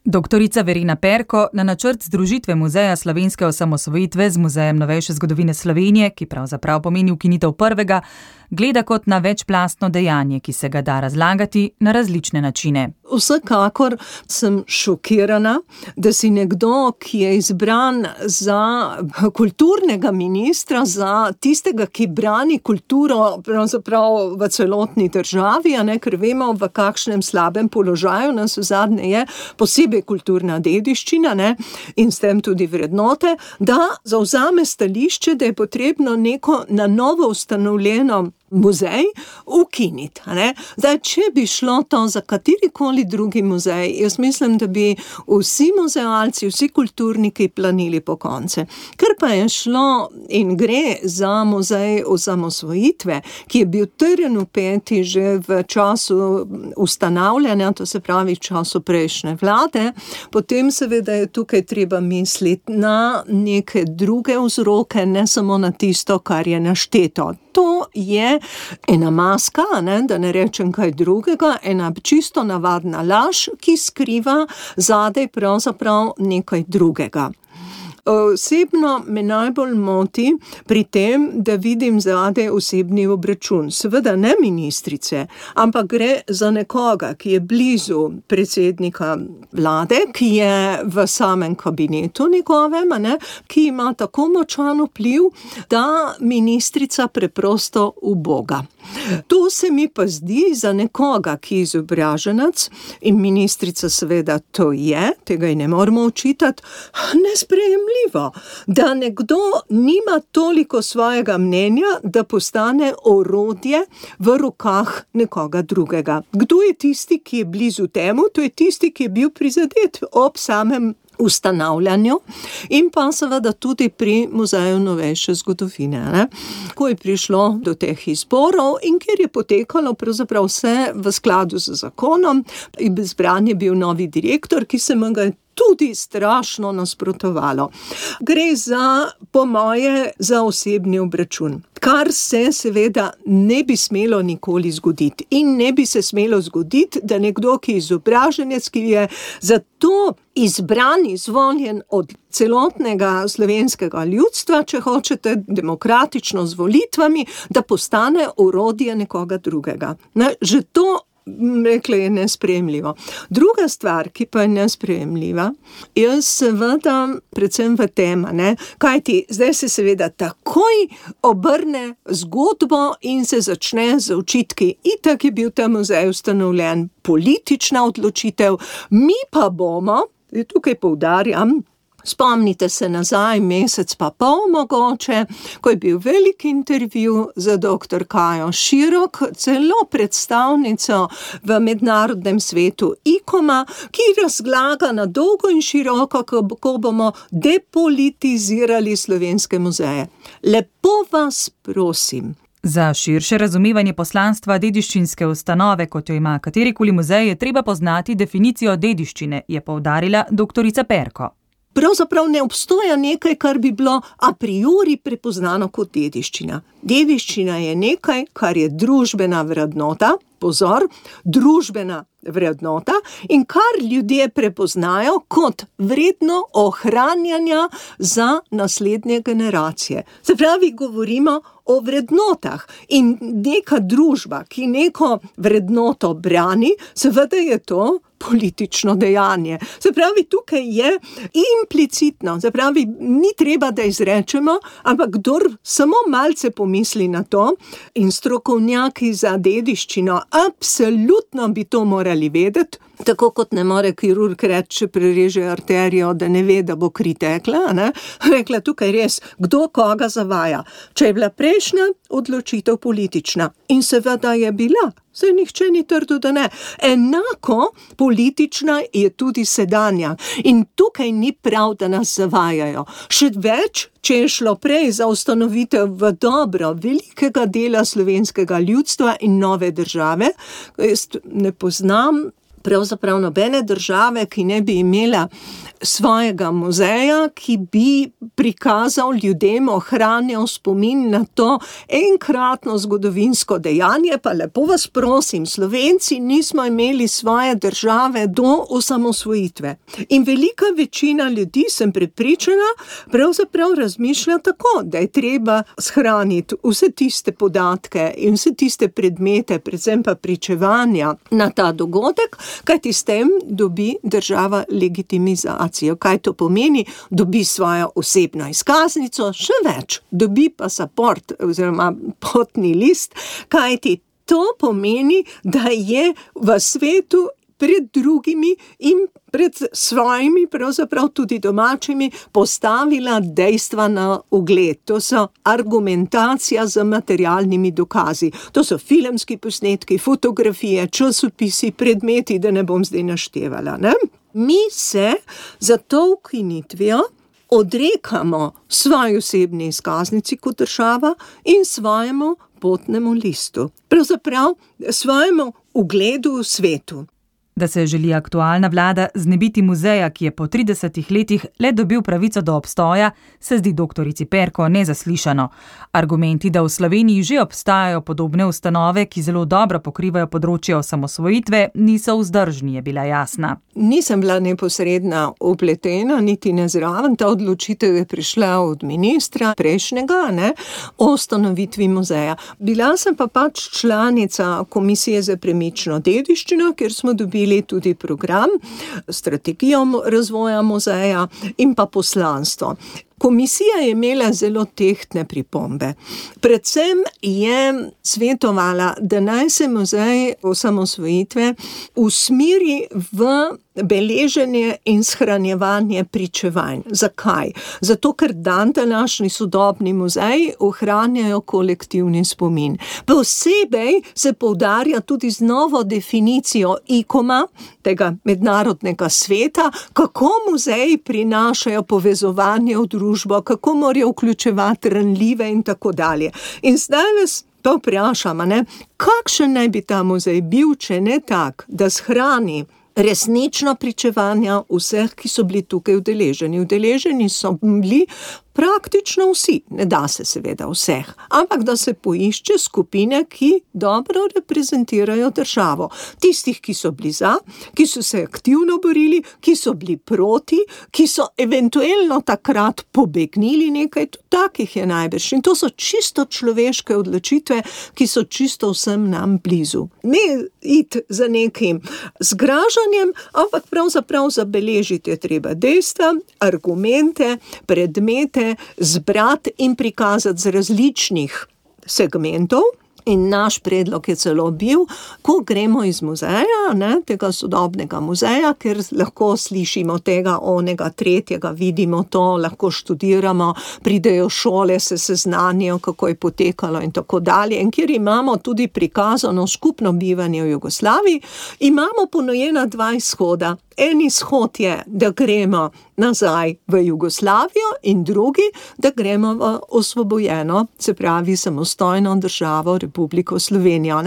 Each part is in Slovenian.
Doktorica Verena Perko na načrt združitve Muzeja slovenske osamosvojitve z Muzejem novejše zgodovine Slovenije, ki pravzaprav pomeni ukinitev prvega, gleda kot na večplastno dejanje, ki se ga da razlagati na različne načine. Vsekakor sem šokirana, da si nekdo, ki je izbran za kulturnega ministra, za tistega, ki brani kulturo pravzaprav v celotni državi, ker vemo, v kakšnem slabem položaju nas vzadnje je, posebej kulturna dediščina, in s tem tudi vrednote, da zavzame stališče, da je potrebno neko na novo ustanovljeno muzej ukiniti. Zdaj, če bi šlo to za katerikoli drugi muzej, jaz mislim, da bi vsi muzealci, vsi kulturniki planili po konce. Ker pa je šlo in gre za muzej osamosvojitve, ki je bil trn v peti že v času ustanavljanja, to se pravi v času prejšnje vlade, potem seveda je tukaj treba misliti na neke druge vzroke, ne samo na tisto, kar je našteto. To je ena maska, da ne rečem kaj drugega, ena čisto navadna laž, ki skriva zadaj pravzaprav nekaj drugega. Osebno me najbolj moti pri tem, da vidim zadaj osebni obračun. Seveda ne ministrice, ampak gre za nekoga, ki je blizu predsednika vlade, ki je v samem kabinetu njegovem, ki ima tako močan vpliv, da ministrica preprosto uboga. To se mi pa zdi za nekoga, ki je izobraženec, in ministrica seveda to je, tega ji ne moramo očitati, nesprejemljivo, da nekdo nima toliko svojega mnenja, da postane orodje v rokah nekoga drugega. Kdo je tisti, ki je blizu temu? To je tisti, ki je bil prizadet ob samem ustanavljanju in pa seveda tudi pri Muzeju novejše zgodovine. Ko je prišlo do teh izborov in kjer je potekalo pravzaprav vse v skladu z zakonom, izbran je bil novi direktor, ki se mu ga tudi strašno nasprotovalo. Gre za, po moje, za osebni obračun. Kar se seveda ne bi smelo nikoli zgoditi. In ne bi se smelo zgoditi, da nekdo, ki je izobraženec, ki je zato izbran, izvoljen od celotnega slovenskega ljudstva, če hočete, demokratično z volitvami, da postane orodje nekoga drugega. Že to rekla je nesprejemljivo. Druga stvar, ki pa je nesprejemljiva, je seveda predvsem v tem, kajti zdaj se seveda takoj obrne zgodbo in se začne z očitki. Itak je bil ta muzej ustanovljen, politična odločitev, mi pa bomo, tukaj poudarjam, spomnite se nazaj, mesec pa pol mogoče, ko je bil velik intervju za dr. Kajo Širok, celo predstavnico v mednarodnem svetu ICOM-a, ki razlaga na dolgo in široko, kako bomo depolitizirali slovenske muzeje. Lepo vas prosim. Za širše razumevanje poslanstva dediščinske ustanove, kot jo ima katerikoli muzej, je treba poznati definicijo dediščine, je poudarila doktorica Perko. Pravzaprav ne obstoja nekaj, kar bi bilo a priori prepoznano kot dediščina. Dediščina je nekaj, kar je družbena vrednota, pozor, družbena vrednota in kar ljudje prepoznajo kot vredno ohranjanja za naslednje generacije. Se pravi, govorimo o vrednotah in neka družba, ki neko vrednoto brani, seveda je to politično dejanje. Se pravi, tukaj je implicitno, se pravi, ni treba, da izrečemo, ampak kdor samo malce pomisli na to in strokovnjaki za dediščino, absolutno bi to morali vedeti, tako kot ne more kirurg reči, če prereže arterijo, da ne ve, da bo kri tekla, Rekla tukaj res, kdo koga zavaja. Če je bila prejšnja odločitev politična in seveda je bila, saj nihče ni trdil, da ne. Enako politična je tudi sedanja in tukaj ni prav, da nas zavajajo. Še več, če je šlo prej za ustanovitev v dobro velikega dela slovenskega ljudstva in nove države, jaz ne poznam pravzaprav nobene države, ki ne bi imela svojega muzeja, ki bi prikazal ljudem, ohranjal spomin na to enkratno zgodovinsko dejanje. Pa lepo vas prosim, Slovenci nismo imeli svoje države do osamosvojitve. In velika večina ljudi, sem prepričana, pravzaprav razmišlja tako, da je treba shraniti vse tiste podatke in vse tiste predmete, predvsem pa pričevanja na ta dogodek, kajti s tem dobi država legitimizacijo. Kaj to pomeni? Dobi svojo osebno izkaznico, še več, dobi pasaport oziroma potni list, kajti to pomeni, da je v svetu pred drugimi in pred svojimi, pravzaprav tudi domačimi, postavila dejstva na ugled. To so argumentacija z materialnimi dokazi. To so filmski posnetki, fotografije, časopisi, predmeti, da ne bom zdaj naštevala, ne? Mi se za to ukinitvijo odrekamo svoji osebni izkaznici kot država in svojemu potnemu listu. Pravzaprav svojemu ugledu v svetu. Da se želi aktualna vlada znebiti muzeja, ki je po 30 letih le dobil pravico do obstoja, se zdi doktorici Perko nezaslišano. Argumenti, da v Sloveniji že obstajajo podobne ustanove, ki zelo dobro pokrivajo področje osamosvojitve, niso vzdržni, je bila jasna. Nisem bila neposredna vpletena, niti ne zraven. Ta odločitev je prišla od ministra prejšnjega, o ustanovitvi muzeja. Bila sem pa pač članica Komisije za premično dediščino, kjer smo dobili tudi program, strategijo razvoja muzeja in pa poslanstvo. Komisija je imela zelo tehtne pripombe. Predvsem je svetovala, da naj se muzej osamosvojitve usmeri v beleženje in shranjevanje pričevanj. Zakaj? Zato, ker današnji sodobni muzeji ohranjajo kolektivni spomin. Posebej se poudarja tudi z novo definicijo ICOM-a, tega mednarodnega sveta, kako muzeji prinašajo povezovanje v družbo, kako morajo vključevati ranljive in tako dalje. In zdaj vas to vprašam, kakšen naj bi ta muzej bil, če ne tak, da shrani resnično pričevanja vseh, ki so bili tukaj udeleženi. Udeleženi so bili praktično vsi, ne da se seveda vseh, ampak da se poišče skupine, ki dobro reprezentirajo državo. Tistih, ki so bili za, ki so se aktivno borili, ki so bili proti, ki so eventualno takrat pobegnili, nekaj takih je najbrž. In to so čisto človeške odločitve, ki so čisto vsem nam blizu. Ne iti za nekim zgražanjem, ampak pravzaprav zabeležiti je treba dejstva, argumente, predmete, zbrati in prikazati z različnih segmentov. In naš predlog je celo bil, ko gremo iz muzeja, tega sodobnega muzeja, ker lahko slišimo tega, onega, tretjega, vidimo to, lahko študiramo, pridejo šole, se seznanijo, kako je potekalo in tako dalje. In kjer imamo tudi prikazano skupno bivanje v Jugoslaviji, imamo ponujena 2 izhoda. En izhod je, da gremo nazaj v Jugoslavijo in drugi, da gremo v osvobojeno, se pravi samostojno državo Republiko Slovenijo.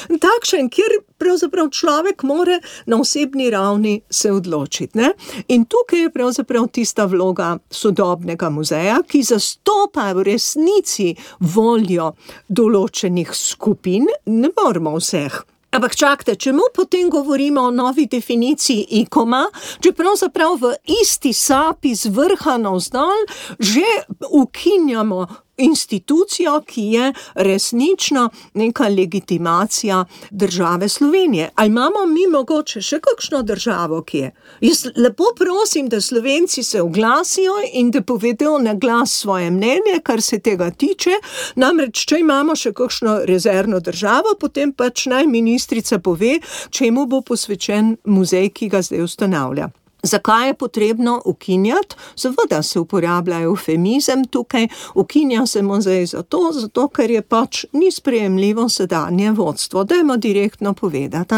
Takšen, kjer pravzaprav človek more na osebni ravni se odločiti. In tukaj je pravzaprav tista vloga sodobnega muzeja, ki zastopa v resnici voljo določenih skupin, ne moramo vseh. Ampak čakajte, čemu potem govorimo o novi definiciji ICOM-a, če pravzaprav v isti sapi z vrha navzdol že ukinjamo institucijo, ki je resnično neka legitimacija države Slovenije. Ali imamo mi mogoče še kakšno državo, ki je? Jaz lepo prosim, da Slovenci se oglasijo in da povedo na glas svoje mnenje, kar se tega tiče. Namreč, če imamo še kakšno rezervno državo, potem pač naj ministrica pove, čemu bo posvečen muzej, ki ga zdaj ustanavlja. Zakaj je potrebno ukinjati? Seveda se uporablja eufemizem tukaj, ukinja se muzej zato, ker je pač ni sprejemljivo sedanje vodstvo. Dajmo direktno povedati,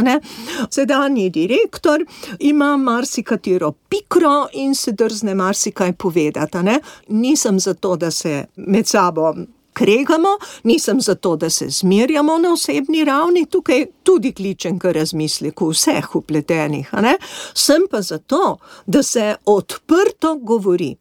Sedanji direktor ima marsikatero pikro in se drzne marsikaj povedati, Nisem zato, da se med sabo kregamo, nisem zato, da se zmerjamo na osebni ravni, tukaj tudi kličem k razmisleku vseh vpletenih, sem pa zato, da se odprto govori.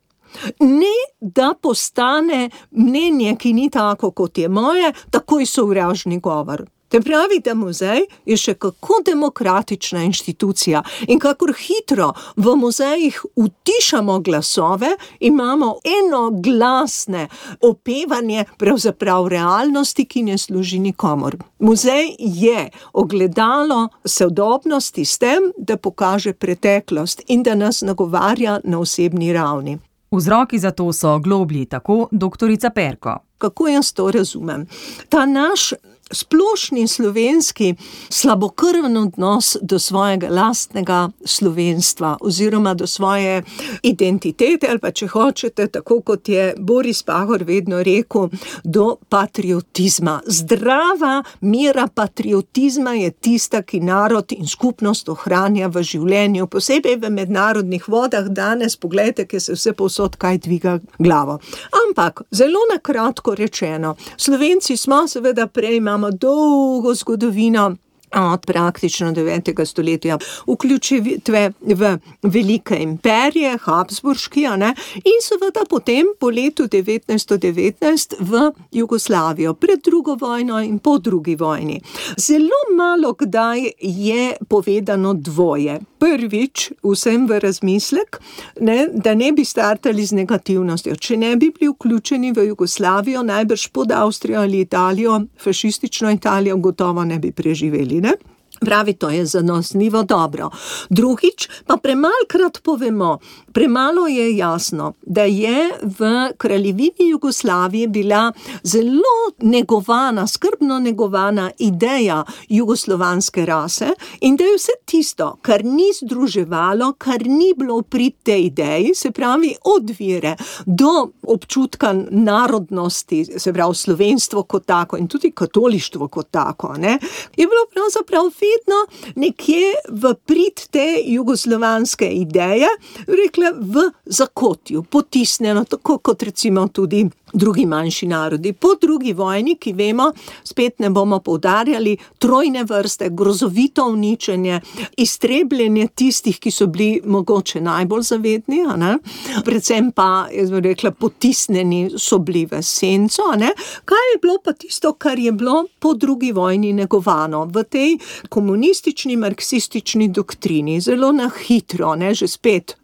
Ne, da postane mnenje, ki ni tako, kot je moje, takoj sovražni govor. Te pravi, da muzej je še kako demokratična inštitucija in kakor hitro v muzejih utišamo glasove, imamo enoglasne opevanje pravzaprav realnosti, ki ne služi nikomur. Muzej je ogledalo sodobnosti s tem, da pokaže preteklost in da nas nagovarja na osebni ravni. Vzroki za to so globlji, tako doktorica Perko. Kako jaz to razumem? Ta naš splošni slovenski slabokrven odnos do svojega lastnega slovenstva oziroma do svoje identitete ali pa, če hočete, tako kot je Boris Pahor vedno rekel, do patriotizma. Zdrava mera patriotizma je tista, ki narod in skupnost ohranja v življenju, posebej v mednarodnih vodah danes, poglejte, ki se vse povsod kaj dviga glavo. Ampak, zelo na kratko rečeno, Slovenci smo seveda prej imamo dolgo zgodovino od praktično 9. stoletja, vključitve v velike imperije, habsburški, in seveda potem po letu 1919 v Jugoslavijo, pred drugo vojno in po drugi vojni. Zelo malo kdaj je povedano dvoje. Prvič, vsem v razmislek, da ne bi startali z negativnostjo. Če ne bi bili vključeni v Jugoslavijo, najbrž pod Avstrijo ali Italijo, fašistično Italijo, gotovo ne bi preživeli, Pravi, to je zanesljivo dobro. Drugič, pa premalkrat povemo, premalo je jasno, da je v kraljevini Jugoslavije bila zelo negovana, skrbno negovana ideja jugoslovanske rase in da je vse tisto, kar ni združevalo, kar ni bilo v prid tej ideji, se pravi od vere do občutka narodnosti, se pravi slovenstvo kot tako in tudi katolištvo kot tako, je bilo pravzaprav vedno nekje v prid te jugoslovanske ideje, rekla v zakotju, potisnjeno, tako kot recimo tudi drugi manjši narodi. Po drugi vojni, ki vemo, spet ne bomo poudarjali, trojne vrste, grozovito uničenje, iztrebljenje tistih, ki so bili mogoče najbolj zavedni, predvsem pa, jaz bi rekla, potisnjeni so bili v senco, Kaj je bilo pa tisto, kar je bilo po drugi vojni negovano v tej komunistični, marksistični doktrini, zelo na hitro, že spet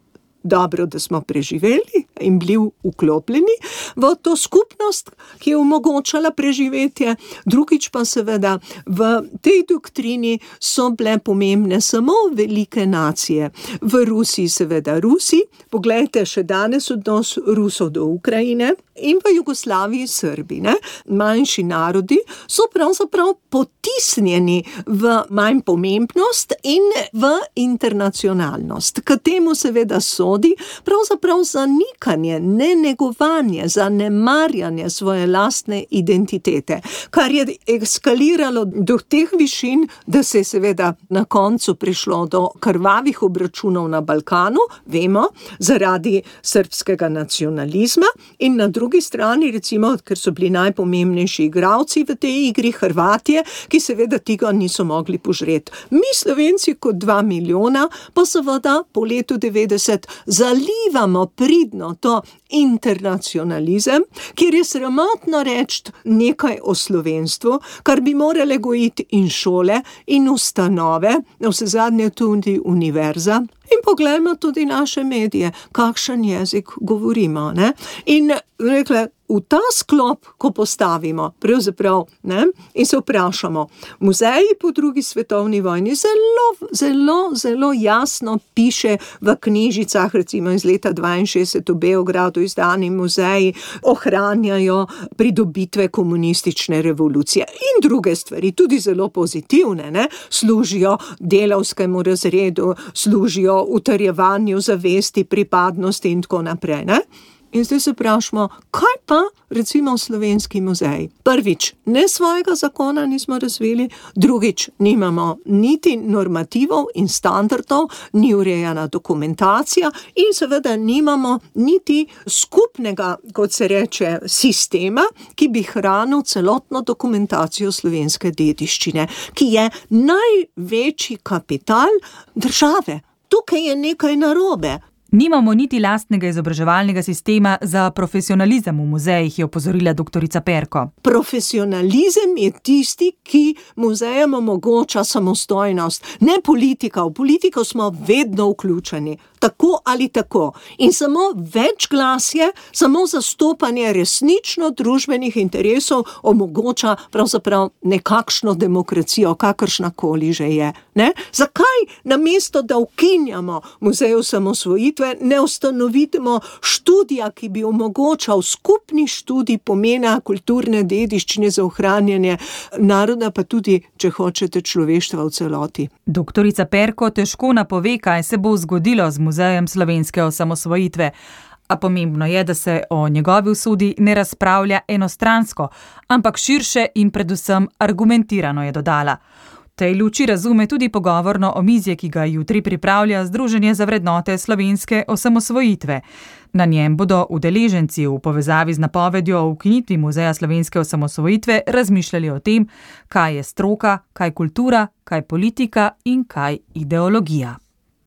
dobro, da smo preživeli in bili vklopljeni v to skupnost, ki je omogočala preživetje. Drugič pa seveda v tej doktrini so bile pomembne samo velike nacije. V Rusiji seveda Rusi, poglejte še danes odnos Rusov do Ukrajine, in v Jugoslaviji Srbi, manjši narodi so pravzaprav potisnjeni v manj pomembnost in v internacionalnost. K temu seveda sodi pravzaprav zanikanje, nenegovanje, zanemarjanje svoje lastne identitete, kar je eskaliralo do teh višin, da se je seveda na koncu prišlo do krvavih obračunov na Balkanu, vemo, zaradi srbskega nacionalizma in na drugi strani, recimo, ker so bili najpomembnejši igralci v tej igri, Hrvatje, ki seveda tega niso mogli požreti. Mi Slovenci kot 2 milijona, pa seveda po letu 90 zalivamo pridno to internacionalizem, kjer je sramotno reči nekaj o slovenstvu, kar bi morale gojiti in šole in ustanove, vsezadnje tudi univerza. In poglejmo tudi naše medije, kakšen jezik govorimo, In rekla, v ta sklop, ko postavimo, pravzaprav, in se vprašamo, muzeji po drugi svetovni vojni zelo jasno piše v knjižicah, recimo iz leta 62 v Beogradu izdani muzeji, ohranjajo pridobitve komunistične revolucije in druge stvari, tudi zelo pozitivne, služijo delavskemu razredu, služijo utrjevanju zavesti, pripadnosti in tako naprej, In zdaj se vprašamo, kaj pa recimo Slovenski muzej? Prvič, ne svojega zakona nismo razvili, drugič, nimamo niti normativov in standardov, ni urejena dokumentacija in seveda nimamo niti skupnega, kot se reče, sistema, ki bi hranil celotno dokumentacijo slovenske dediščine, ki je največji kapital države. Tukaj je nekaj narobe. Nimamo niti lastnega izobraževalnega sistema za profesionalizem v muzejih, je opozorila doktorica Perko. Profesionalizem je tisti, ki muzejem omogoča samostojnost, ne politika. V politiko smo vedno vključeni, tako ali tako. In samo večglasje, samo zastopanje resnično družbenih interesov omogoča pravzaprav nekakšno demokracijo, kakršnakoli že je. Ne? Zakaj namesto, da ukinjamo muzej osamosvojitve, ne ustanovimo študija, ki bi omogočal skupni študij pomena kulturne dediščine za ohranjanje naroda, pa tudi, če hočete, človeštva v celoti. Doktorica Perko težko napove, kaj se bo zgodilo z muzejem slovenske osamosvojitve. A pomembno je, da se o njegovi usodi ne razpravlja enostransko, ampak širše in predvsem argumentirano, je dodala. V tej luči razume tudi pogovorno omizje, ki ga jutri pripravlja Združenje za vrednote slovenske osamosvojitve. Na njem bodo udeleženci v povezavi z napovedjo o ukinitvi muzeja slovenske osamosvojitve razmišljali o tem, kaj je stroka, kaj kultura, kaj politika in kaj ideologija.